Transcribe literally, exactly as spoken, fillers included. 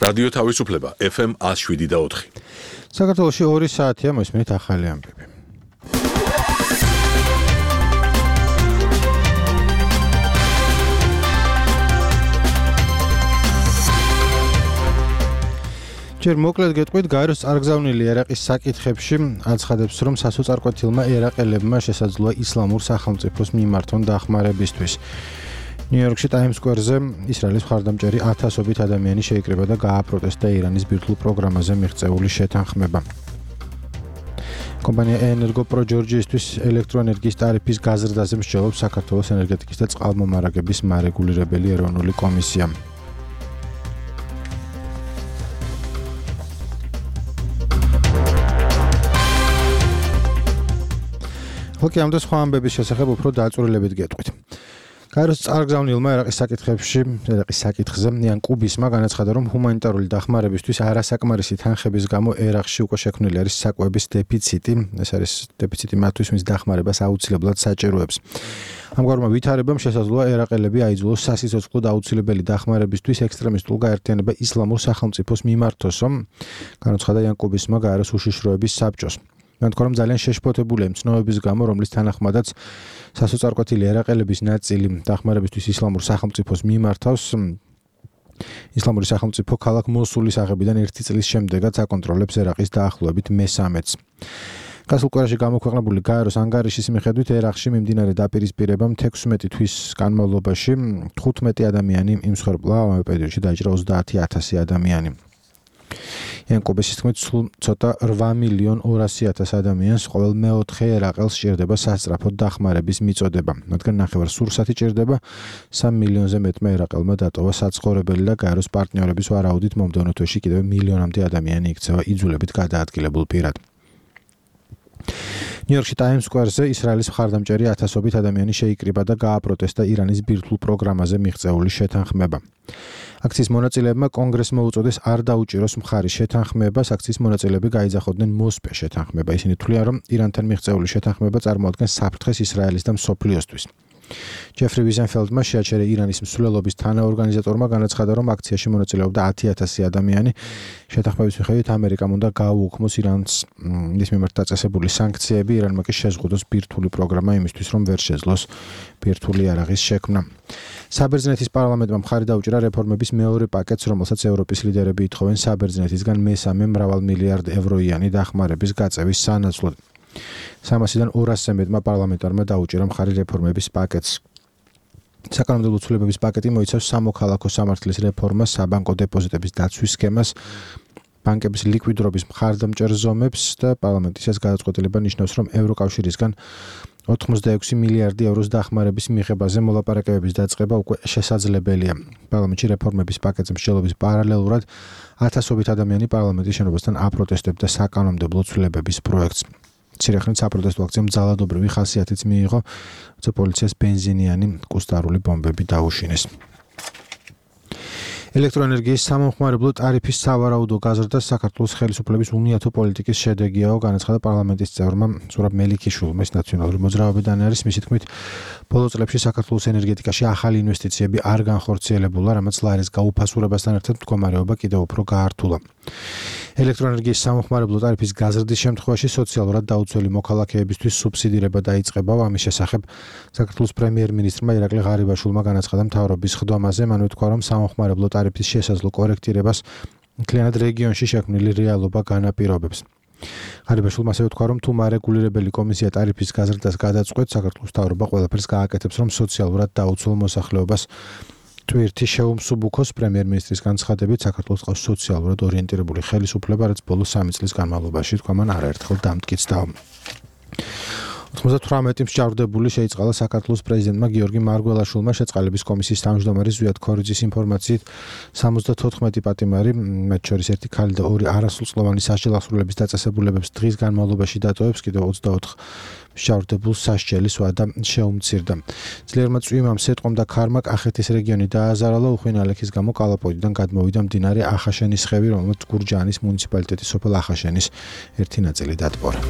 რადიო თავისუფლება ეფ ემ one oh seven და four. საქართველოში ორი საათია მოსმენით ახალი ამბები. ჯერ მოკლედ გეტყვით, გაეროს წარგზავნილი ერაყის საკითხებში აცხადებს, რომ სასოწარკვეთილმა ერაყელებმა შესაძლოა ისლამურ სახელმწიფოს მიმართონ დახმარებისთვის. ნიუ-იორკში ტაიმს სკვერზე ისრაელის მხარდამჭერი ათასობით ადამიანი შეიკრიბა და გააპროტესტა ირანის ბირთვულ პროგრამაზე მიღწეული შეთანხმება. კომპანია ენერგო პრო ჯორჯიისთვის ელექტროენერგიის ტარიფის გაზრდაზე მსჯელობს საქართველოს ენერგეტიკის და წყალმომარაგების მარეგულირებელი ეროვნული კომისია. ხოქი ამ და სხვა ამბების შესახებ უფრო დაწვრილებით გეტყვით. გაეროს წარგზავნილმა ერაყის საკითხებში, ერაყის საკითხზე იან კუბისმა განაცხადა, რომ ჰუმანიტარული დახმარებისთვის არასაკმარისი თანხების გამო ერაყში უკვე შექმნილი არის საკვების დეფიციტი. ეს არის დეფიციტი მათთვის, ვინც დახმარებას აუცილებლად საჭიროებს. ამგვარმა ვითარებამ შესაძლოა ერაყელები აიძულოს სასიცოცხლო და აუცილებელი დახმარებისთვის ექსტრემისტულ გაერთიანება ისლამურ სახელმწიფოს მიმართოსო, განაცხადა იან კუბისმა გაეროს უშიშროების საბჭოს. განთქვა, რომ ძალიან შეშფოთებულია მცნობების გამო, რომლის თანახმადაც სასოწარკვეთილი ერაყელების ნაწილი დახმარებისთვის ისლამურ სახელმწიფოს მიმართავს. ისლამური სახელმწიფო ქალაქ მოსულის აღებიდან ერთი წლის შემდეგაც აკონტროლებს ერაყის დაახლოებით მესამედს. გასულ კვირაში გამოქვეყნებული გაეროს ანგარიშის მიხედვით ერაყში მიმდინარე დაპირისპირებამ თექვსმეტი თვის განმავლობაში თხუთმეტი ადამიანი იმსხვერპლა, ამავე პერიოდში დაიჭრა ოცდაათი ათასი ადამიანი. იანკუბის თქმით, სულ ცოტა რვა მილიონ ორასი ათას ადამიანს ყოველ მეოთხე ერაყელს სჭირდება სასწრაფო დახმარების მიწოდება. მათგან ნახევარს სურსათი ჭირდება, სამ მილიონზე მეტმა ერაყელმა დატოვა საცხოვრებელი და გაეროს პარტნიორების ვარაუდით მომდევნო თვეში კიდევ მილიონამდე ადამიანი იქცევა იძულებით გადაადგილებულ პირად. ნიუ-იორკში ტაიმს სკვერზე ისრაელის მხარდამჭერი ათასობით ადამიანი შეიკრიბა და გააპროტესტა ირანის ბირთვულ პროგრამაზე მიღწეული შეთანხმება. აქციის მონაწილეებმა კონგრესმა უწოდეს არ დაუჭიროს მხარის შეთანხმებას, აქციის მონაწილეები გაიძახოდნენ მოსპე შეთანხმება. ისინი თვლიან, რომ ირანთან მიღწეული შეთანხმება წარმოადგენს საფრთხეს ისრაელის და მსოფლიოსთვის. ჯეფრი ვიზენფელდმა შეაჩერა ირანის მსვლელობის თანაორგანიზატორმა განაცხადა, რომ აქციაში მონაწილეობდა ათი ათასი ადამიანი. შეთანხმების მიხედვით ამერიკამ უნდა გააუქმოს ირანს მის მიმართ დაწესებული სანქციები, ირანმა კი შეზღუდოს ბირთვული პროგრამა იმისთვის, რომ ვერ შეძლოს ბირთვული იარაღის შექმნა. საბერძნეთის პარლამენტმა მხარი დაუჭირა რეფორმების მეორე პაკეტს, რომელსაც ევროპის ლიდერები ითხოვენ საბერძნეთისგან მესამე მრავალ მილიარდ ევროიანი დახმარების გაწევის სანაცვლოდ. სამასიდან ორასზე მეტმა პარლამენტარმა დაუჭირა მხარი რეფორმების პაკეტს. საკანონმდებლო ცვლილებების პაკეტი მოიცავს სამოქალაქო სამართლის რეფორმას, საბანკო დეპოზიტების დაცვის სქემას, ბანკების ლიკვიდრობის მხარდამჭერ ზომებს და პარლამენტის ეს გადაწყვეტილება ნიშნავს, რომ ევროკავშირისგან ოცდაექვსი მილიარდი ევროს დახმარების მიღებაზე მოლაპარაკებების დაწყება უკვე შესაძლებელია. პარლამენტში რეფორმების პაკეტზე მსჯელობის პარალელურად ათასობით ადამიანი პარლამენტის შენობასთან აპროტესტებდა საკანონმდებლო ცვლილებების პროექტს. მცირე ხნით საპროტესტო აქციამ ძალადობრივი ხასიათიც მიიღო, როცა პოლიციას ბენზინიანი კუსტარული ბომბები დაუშინეს. ელექტროენერგიის სამომხმარებლო ტარიფის სავარაუდო გაზრდა საქართველოს ხელისუფლების უნიათო პოლიტიკის შედეგიაო, განაცხადა პარლამენტის წევრმა ზურაბ მელიქიშვილმა. ეს ნაციონალური მოძრაობიდან არის. მისი თქმით, ბოლო წლებში საქართველოს ენერგეტიკაში ახალი ინვესტიციები არ განხორციელებულა, რამაც ლარის გაუფასურებასთან ერთად მდგომარეობა კიდევ უფრო გაართულა. ელექტროენერგიის სამომხმარებლო ტარიფის გაზრდის შემთხვევაში სოციალურად დაუცველი მოქალაქეებისთვის სუბსიდირება დაიწყება. ამის შესახებ საქართველოს პრემიერ-მინისტრმა ირაკლი ღარიბაშვილმა განაცხადა მთავრობის ხდომაზე. მან უთქვა, რომ სამომხმარებლო ტარიფის შესაძლო კორექტირებას მთლიანად რეგიონში შექმნილი რეალობა განაპირობებს. ღარიბაშვილმა ასევე უთქვა, რომ თუ მარეგულირებელი კომისია ტარიფის გაზრდას გადაწყვეტს, საქართველოს მთავრობა ყველაფერს გააკეთებს, რომ სოციალურად დაუცველ მოსახლეობას ტვირთი შეუმსუბუქოს. პრემიერ-მინისტრის განცხადებით, საქართველოს ყავს სოციალურად ორიენტირებული ხელისუფლება, რაც ბოლო სამი წლის განმავლობაში თქვა მან არაერთხელ დამტკიცდა. ოცდათვრამეტი მსჯავრდებული შეიწყალა საქართველოს პრეზიდენტმა გიორგი მარგველაშვილმა. შეწყალების კომისიის თავმჯდომარის ზვიად ქორიძის ინფორმაციით სამოცდათოთხმეტი პატიმარი, მათ შორის ერთი ქალი და ორი არასრულწლოვანი სასჯელახსრულების დაწესებულებებს დღის განმავლობაში დატოვებს, კიდევ ოცდაოთხ მსჯავრდებულს სასჯელის ვადა შეუმცირდა. ძლიერმა წვიმამ, სეტყომ და ქარმა კახეთის რეგიონი დააზარალა. უხვინ ალექის გამო კალაპოიდიდან გადმოვიდა მდინარე ახაშენის ხევი, რომელმაც გურჯაანის მუნიციპალიტეტის სოფელ ახაშენის ერთი ნაწილი დატბორა.